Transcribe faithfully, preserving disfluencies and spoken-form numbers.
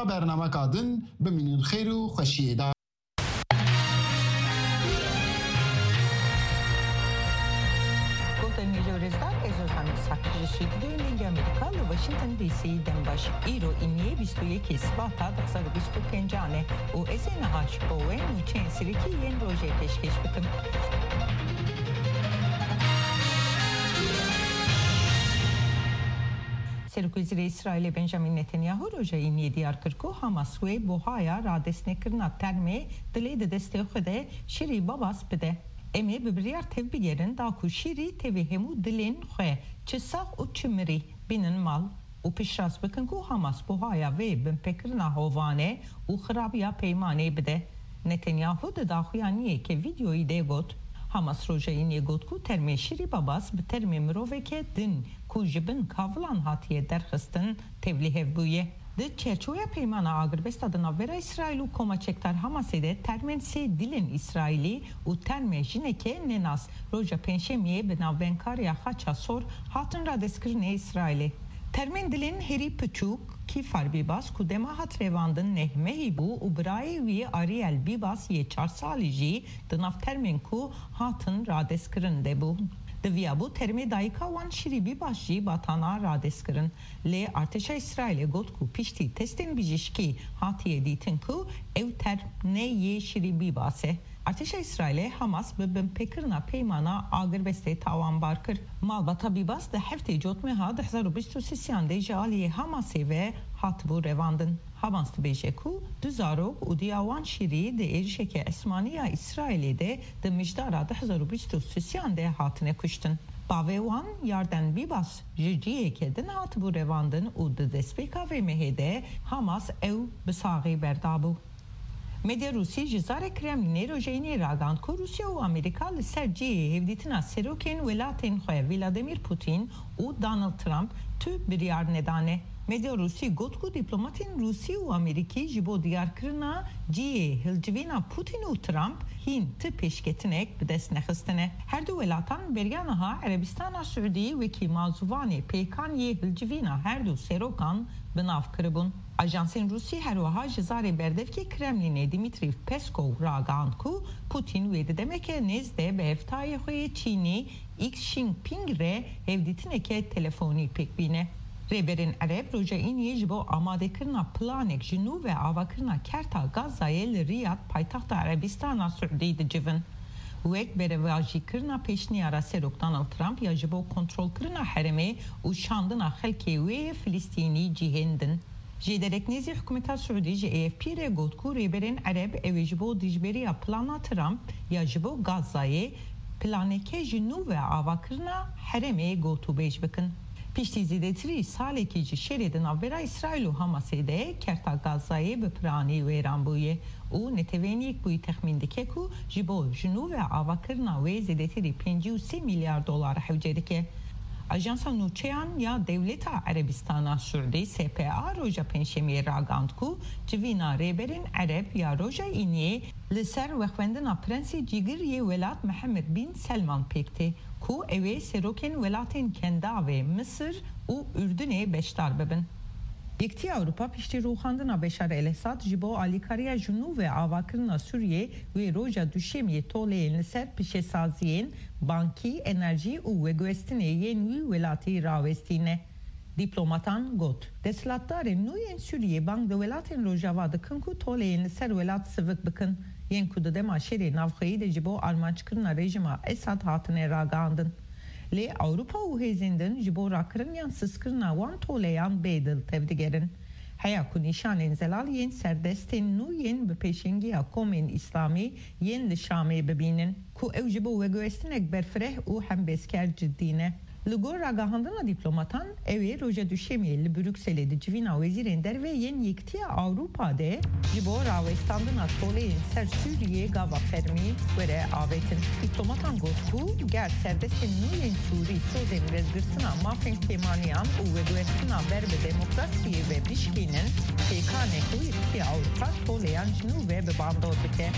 Bernameka din bimînin xêr û xweşiyê de. Guhdarên hêja û rêzdar, ez Ozan Îshak ji stûdyoyên Dengê Amerîka li Washington D C dem baş. Îro îniyê bîst û yekê Sibata du hezar û bîst û pêncan e û ez ê niha ji bo we nûçeyên serekî yên rojê pêşkêş bikim. Serokwezîrê Îsraîlê Benjamin Netanyahu roja îniyê diyar kir ku Hamas wê buhaya radestnekirina termê dilê di destê xwe de Şîrî Babas bide. Em ê bi biryar tevbigerin da ku Şîrî tevî hemû dilên xwe, çi sax û çi mirî, bînin mal û piştrast bikin ku Hamas buhaya vê binpêkirina hovane û xirabiya peymanê bide. Netanyahu di daxuyaniyeke vîdeoyî de got, Hamas roja îniyê got ku termê Şîrî Babas bi termê miroveke din ku ji bin kavilan hatiye derxistin, tevlîhev bûye. Di çerçoveya peymana agirbesta di navbera Îsraîl û koma çekdar Hamasê de termên sê dilên Îsraîlî û termê jineke nenas roja Pêncşemiyê bi navbenkariya Xaça Sor hatin radestkirinê Îsraîlê. Termên dilên herî piçûk, Kîfar Bîbas ku dema hat revandin neh mehî bû û birayê wî Ariel Bîbas yê çar salî jî di nav termên ku hatin radestkirin de bû. Diviyabû termê dayika wan Şîrî Bîbas jî batana radestkirin. Lê artêşa Îsraîlê got ku piştî testên bijîşkî hatiye dîtin ku ew term ne yê Şîrî Bîbas e. Artêşa Îsraîlê Hamas bi binpêkirina peymana agirbestê tawanbar kir. Malbata Bîbas di heftê Cotmeha du hezar û bîst û sêyan de ji aliyê Hamasê ve hatibû revandin. Hamas dibêje ku du zarok û diya wan Şîrî di êrişeke esmanî ya Îsraîlê de di mijdara du hezar û bîst û sêyan de hatine kuştin. Bavê wan Yarden Bîbas ji ciheke din hatibû revandin û di destpêka vê mehê de Hamas ew bi saxî berdabû. Medya Rûsî ji zarê Kremlînê rojê înê ragihand ku Rûsya û Amerîka li ser cihê hevdîtina serokên welatên xwe Vladimir Putin û Donald Trump tu biryar nedane. Medya Rûsî got ku dîplomatên Rûsî û Amerîkî ji bo diyarkirina cihê hilcivîna Putin û Trump hîn ti pêşketinek bi dest nexistine. Her du welatan beriya niha Erebistana Siûdî wekî mazûvanê pêkan yê hilcivîna her du serokan bi nav kiribûn. Ajansên Rûsî her wiha ji zarê berdevkê Kremlînê Dimitrî Peskov ragihand ku Putin wê di demeke nêz de bi hevtayê xwe yê Çînî Xi Jinping re hevdîtineke telefonî pêk bîne. Rêberên Ereb roja Îniyê ji bo amadekirina planek ji nû ve avakirina Kerta Gazayê li Riyad, paytexta Erebistana Siûdî, dicivin. Wek berevajîkirina pêşniyara Serok Donald Trump ya ji bo kontrolkirina herêmê û şandina xelkê wê yê Filistînî cihên din. Jêderek nêzî hikûmeta Siûdî ji A F P re got ku rêberên Ereb ew ê ji bo dijberiya plana Trump ya ji bo Gazayê planeke ji nû ve avakirina herêmê gotûbêj bikin. Piştî zêdetirî salekî ji şerê di navbera Îsraîl û Hamasê de, Kerta Gazayê bi piranî wêran bûye û Netewên Yekbûyî texmîn dike ku ji bo ji nû ve avakirina wê zêdetirî pêncî û sê milyar dolar hewce dike. Ajansa Nûçeyan ya Dewleta Erebistana Siûdî, S P A, roja Pêncşemiyê ragihand ku civîna rêberên Ereb ya roja Îniyê li ser wexwendina Prensê Cîgir yê welat Mihemed Bin Selman pêk tê, ku ew ê serokên welatên Kendavê Misir û Urdunê beşdar bibin. Yekîtiya Ewropa piştî rûxandina Beşar El-Esad ji bo alîkariya ji nû ve avakirina Sûriyê wê roja Duşemiyê toleyên li ser pişesaziyên bankî, enerjî û veguhestinê yên wî welatî rawestîne. Dîplomatan got, desthilatdarên nû yên Sûriyê bang li welatên Rojava dikin ku toleyên li ser welat sivik bikin, yên ku di dema şerê navxweyî de ji bo armanckirina rejîma Esad hatine ragihandin. Lê Ewropa û hêzên din ji bo rakirin yan sistkirina wan toleyan bê dil tevdigerin. Heya ku nîşanên zelal yên serdestên nû yên bi pêşengiya komên îslamî yên li Şamê bibînin, ku ew ji bo veguhestinek berfireh û hembêzker cidî ne. Li gor ragihandina dîplomatan, ew ê roja Duşemiyê li Brukselê di civîna wezîrên derve yên Yekîtiya Ewropa de ji bo rawestandina toleyên ser Sûriyê gava fermî were avêtin. Dîplomatan got ku ger serdestên nû yên Sûrî sozên vedigirtina mafên kêmaniyan û veguhestina ber bi demokrasiyê ve bişkînin, pêkan e ku Yekîtiya Ewropa toleyan ji nû ve bi bandor bike.